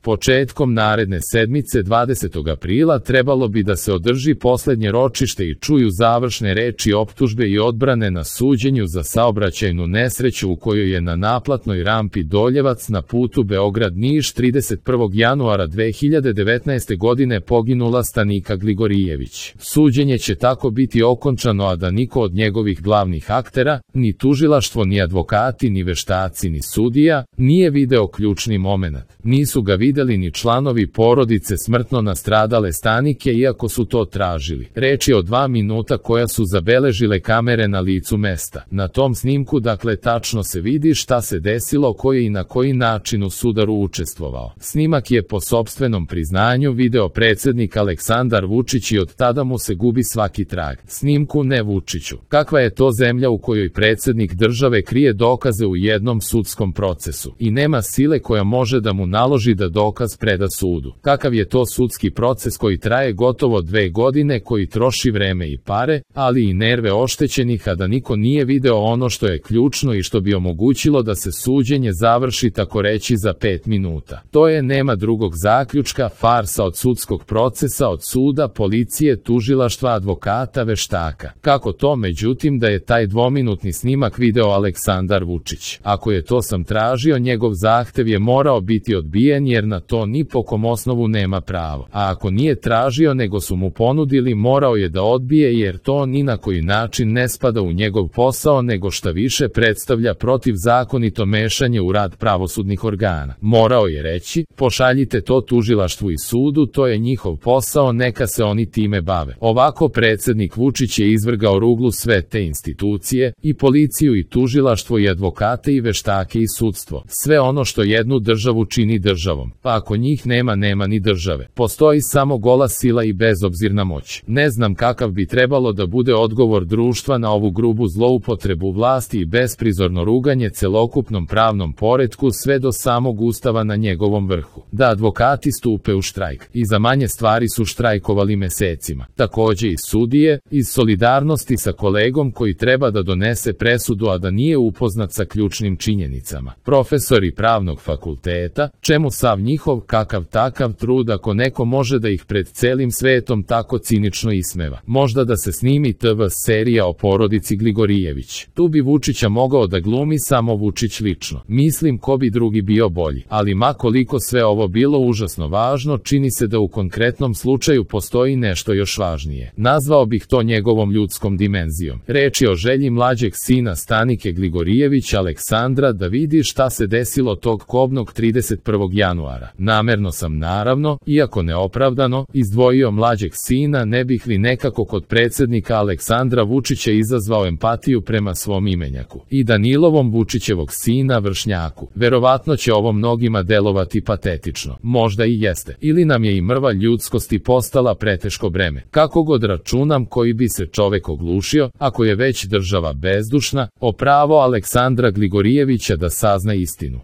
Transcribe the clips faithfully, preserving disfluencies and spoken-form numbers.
Početkom naredne sedmice dvadesetog aprila trebalo bi da se održi poslednje ročište i čuju završne reči optužbe i odbrane na suđenju za saobraćajnu nesreću u kojoj je na naplatnoj rampi Doljevac na putu Beograd-Niš trideset prvog januara dve hiljade devetnaeste godine poginula Stanika Gligorijević. Suđenje će tako biti okončano, a da niko od njegovih glavnih aktera, ni tužilaštvo, ni advokati, ni veštaci, ni sudija, nije video ključni momenat. Nisu ga videli ni članovi porodice smrtno nastradale Stanike, iako su to tražili. Reč je o dva minuta koja su zabeležile kamere na licu mesta. Na tom snimku dakle tačno se vidi šta se desilo, ko je i na koji način u sudaru učestvovao. Snimak je po sopstvenom priznanju video predsednik Aleksandar Vučić i od tada mu se gubi svaki trag. Snimku ne Vučiću. Kakva je to zemlja u kojoj predsednik države krije dokaze u jednom sudskom procesu i nema sile koja može da mu naloži da dokaz preda sudu? Kakav je to sudski proces koji traje gotovo dve godine, koji troši vreme i pare, ali i nerve oštećenih, a da niko nije video ono što je ključno i što bi omogućilo da se suđenje završi tako reći za pet minuta? To je, nema drugog zaključka, farsa od sudskog procesa, od suda, policije, tužilaštva, advokata, veštaka. Kako to, međutim, da je taj dvominutni snimak video Aleksandar Vučić? Ako je to sam tražio, njegov zahtev je morao biti odbijen jer na to ni po kom osnovu nema pravo. A ako nije tražio nego su mu ponudili, morao je da odbije jer to ni na koji način ne spada u njegov posao, nego šta više predstavlja protivzakonito mešanje u rad pravosudnih organa. Morao je reći, pošaljite to tužilaštvu i sudu, to je njihov posao, neka se oni time bave. Ovako predsednik Vučić je izvrgao ruglu sve te institucije, i policiju i tužilaštvo i advokate i veštake i sudstvo. Sve ono što jednu državu čini državom. Pa ako njih nema, nema ni države. Postoji samo gola sila i bezobzirna moć. Ne znam kakav bi trebalo da bude odgovor društva na ovu grubu zloupotrebu vlasti i besprizorno ruganje celokupnom pravnom poretku sve do samog Ustava na njegovom vrhu. Da advokati stupe u štrajk. I za manje stvari su štrajkovali mesecima. Takođe i sudije, iz solidarnosti sa kolegom koji treba da donese presudu, a da nije upoznat sa ključnim činjenicama. Profesori pravnog fakulteta, čemu sav njihov kakav takav trud ako neko može da ih pred celim svetom tako cinično ismeva? Možda da se snimi te ve serija o porodici Gligorijević. Tu bi Vučića mogao da glumi samo Vučić lično. Mislim ko bi drugi bio bolji. Ali ma koliko sve ovo bilo užasno važno, čini se da u konkretnom slučaju postoji nešto još važnije. Nazvao bih to njegovom ljudskom dimenzijom. Reč je o želji mlađeg sina Stanike Gligorijević, Aleksandra, da vidi šta se desilo tog kobnog trideset prvog januara. Namerno sam, naravno, iako neopravdano, izdvojio mlađeg sina, ne bih li nekako kod predsednika Aleksandra Vučića izazvao empatiju prema svom imenjaku. I Danilovom, Vučićevog sina, vršnjaku. Verovatno će ovo mnogima delovati patetično. Možda i jeste. Ili nam je i mrva ljudskosti postala preteško breme. Kako god računam, koji bi se čovek oglušio, ako je već država bezdušna, o pravo Aleksandra Gligorijevića da sazna istinu.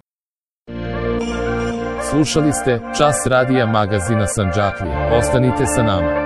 Slušali ste Čas radija magazina Sandžaklije. Ostanite sa nama.